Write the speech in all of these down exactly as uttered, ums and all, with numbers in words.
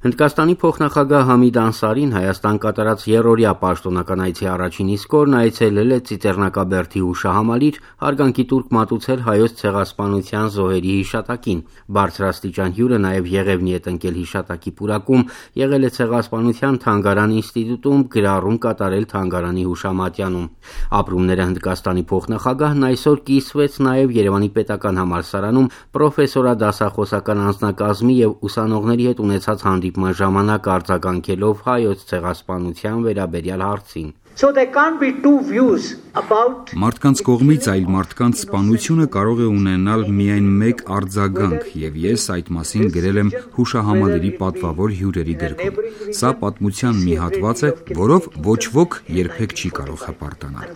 Հնդկաստանի փոխնախագահ Համիդ Անսարին Հայաստան կատարած երրորդյա պաշտոնական այցի առաջին իսկ օրն այցելել է Ծիծեռնակաբերդի հուշահամալիր, հարգանքի տուրք մատուցել հայոց ցեղասպանության զոհերի հիշատակին։ Բարձրաստիճան հյուրը նաև Եղևնի հետ ընկել հիշատակի պուրակում, եղել է Ցեղասպանության թանգարան ինստիտուտում, գրառում կատարել թանգարանի հուշամատյանում։ Ապրումները Հնդկաստանի փոխնախագահն այսօր կիսվեց նաև Երևանի պետական համալսարանում պրոֆեսորադասախոսական անձնակազմի եւ ուսանողների հետ ունեցած հանդիպման ժամանակ արձագանքելով հայոց ցեղասպանության վերաբերյալ հարցին։ So there can't be two views about Մարդկանց կողմից այլ մարդկանց սպանությունը կարող է ունենալ միայն մեկ արձագանք, եւ ես այդ մասին գրել եմ հուշահամալիրի պատվավոր հյուրերի գրքում։ Սա պատմության մի հատված է, որով ոչ ոք երբեք չի կարող հպարտանալ։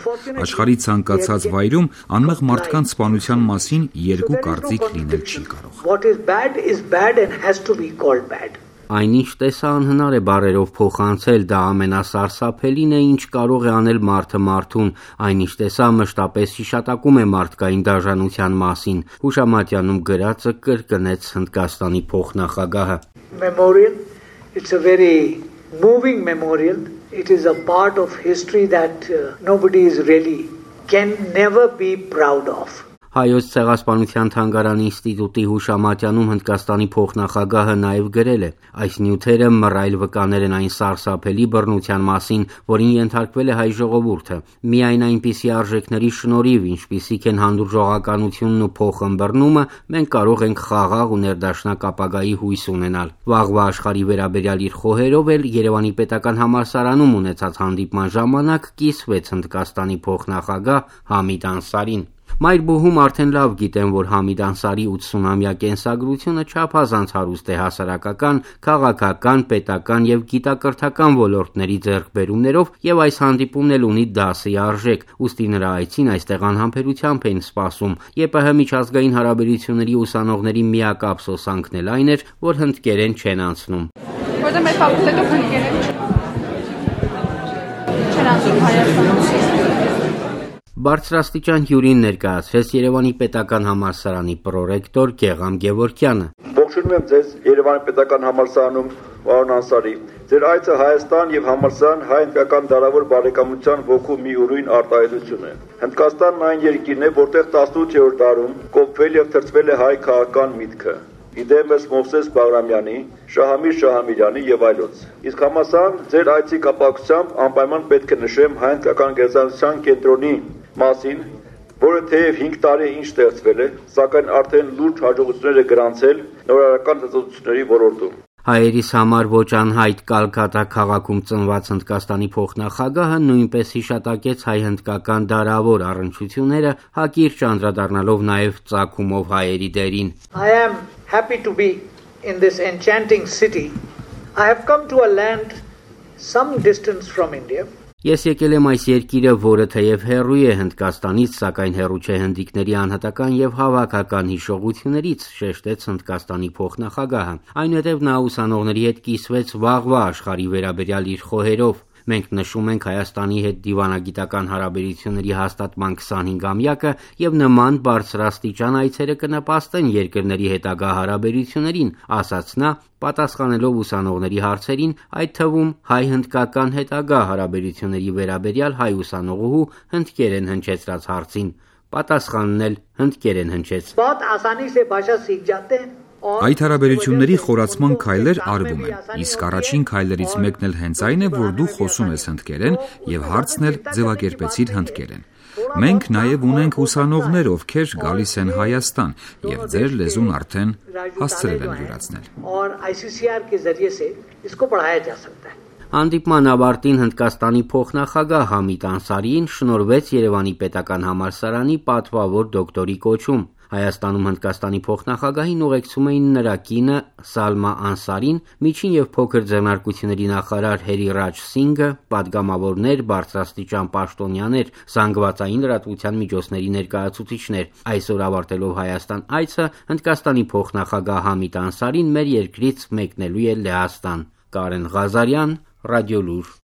Աշխարհի ցանկացած վայրում անմեղ մարդկանց սպանության մասին երկու կարծիք լինել չի կարող։ What is bad is bad and has to be called bad. Այնինչ տեսա անհնար է բառերով փոխանցել, դա ամենասարսափելին է, ինչ կարող է անել մարդը մարդուն, այնինչ տեսա մշտապես հիշատակում է մարդկային դաժանության մասին։ Հուշամատյանում գրածը կրկնեց Հնդկաստանի փոխնախագահը։ Memorial, it's a very moving memorial. It is a part of history that uh, nobody is really can never be proud of. Հայոց ցեղասպանության թանգարանի ինստիտուտի հուշամատյանում Հնդկաստանի փոխնախագահը նաև գրել է. այս նյութերը մռայլ վկաներ են այն սարսափելի բռնության մասին, որին ենթարկվել է հայ ժողովուրդը։ Միայն այնպիսի արժեքների շնորհիվ, ինչպիսիք են հանդուրժողականությունն ու փոխըմբռնումը, մենք կարող ենք խաղաղ ու ներդաշնակ ապագայի հույս ունենալ։ Վաղվա աշխարհի վերաբերյալ իր խոհերով էլ Երևանի պետական համալսարանում ունեցած հանդիպման ժամանակ կիսվեց Հնդկաստանի փոխնախագահ Համիդ Անսարին։ Մայրբուհում արդեն լավ գիտեն, որ Համիդ Անսարի ութսունամյա կենսագրությունը չափազանց հարուստ է հասարակական, քաղաքական, պետական եւ գիտակրթական ոլորտների ձեռքբերումներով եւ այս հանդիպումն էլ ունի դասի արժեք, ուստի նրա այցին այստեղ անհամբերությամբ են սպասում։ ԵՊՀ միջազգային հարաբերությունների ուսանողների միակ ափսոսանքն էլ այն էր, որ հնդկերեն չեն անցնում։ Որտե մեր ֆակուլտետով հնդկերեն չեն անցնում հայաստանցի։ Բարձրաստիճան հյուրին ներկայացրեց Երևանի պետական համալսարանի պրոռեկտոր Գեգամ Գևորգյանը։ Ողջունում եմ ձեզ Երևանի պետական համալսարանում, պարոն Անսարի։ Ձեր այցը Հայաստան եւ համալսարան հայ-հնդկական դարավոր բարեկամության ոգու մի ուրույն արտահայտություն է։ Հնդկաստանն այն երկիրն է, որտեղ տասնութերորդ դարում կոփվել եւ թրծվել է հայ քաղաքական միտքը։ Իդեմս Մովսես Բաղրամյանի, Շահամիր Շահամիրյանի եւ այլոց։ Իսկ համասան ձեր այցի կապակցությամբ անպայման պետք է նշեմ հայ-հնդկական գերազանցության կենտրոնի մասին, որը թեև հինգ տարի ինչ ստեղծվել է, սակայն արդեն լուրջ հաջողություններ է գրանցել նորարարական ծծոցությունների ոլորտում։ Հայերիս համար ոչ անհայտ Կալկատա քաղաքում ծնված Հնդկաստանի փոխնախագահը նույնպես հիշատակեց հայ-հնդկական դարավոր առնչությունները, հակիրճ անդրադառնալով նաև ծագումով հայերի դերին։ I am happy to be in this enchanting city. I have come to a land some distance from India. Ես եկել եմ այս երկիրը, որը թեև հեռու է Հնդկաստանից, սակայն հեռու չէ հնդիկների անհատական եւ հավաքական հիշողություններից, շեշտեց Հնդկաստանի փոխնախագահը։ Այնուհետև նա ուսանողների հետ կիսվեց վաղվա աշխարհի վերաբերյալ իր խոհերով։ Մենք նշում ենք Հայաստանի հետ դիվանագիտական հարաբերությունների հաստատման քսանհինգամյակը եւ նման բարձրաստիճան այցերը կնպաստեն երկրների հետագա հարաբերություններին, ասաց նա, պատասխանելով ուսանողների հարցերին, այդ թվում հայ-հնդկական հետագա հարաբերությունների վերաբերյալ հայ ուսանողուհու հնդկերեն հնչեցրած հարցին։ Պատասխանն էլ հնդկերեն հնչեց։ बहुत आसानी से भाषा सीख जाते हैं। Այդ հարաբերությունների խորացման քայլեր արվում են, իսկ առաջին քայլերից մեկն էլ հենց այն է, որ դու խոսում ես հնդկերեն եւ հարցն էլ ձևակերպեցիր հնդկերեն։ Մենք նաեւ ունենք ուսանողներ, ովքեր գալիս են Հայաստան եւ ձեր լեզուն արդեն հասցրել են յուրացնել։ और आईसीसीआर के जरिए से इसको पढ़ाया जा सकता है। Հանդիպման ավարտին Հնդկաստանի փոխնախագահ Համիդ Անսարիին շնորհվեց Երևանի պետական համալսարանի պատվավոր դոկտորի կոչում։ Հայաստանում Հնդկաստանի փոխնախագահին ուղեկցում էին նրա կինը Սալմա Անսարին, միջին եւ փոքր ձեռնարկությունների նախարար Հերիրաջ Սինգը, պատգամավորներ, բարձրաստիճան պաշտոնյաներ, զանգվածային լրատվության միջոցների ներկայացուցիչներ։ Այսօր ավարտելով Հայաստան այցը Հնդկաստանի փոխնախագահ Համիդ Անսարին մեր երկրից մեկնելու է Լեհաստան։ Կարեն Ղազարյան, Ռադիոլուր։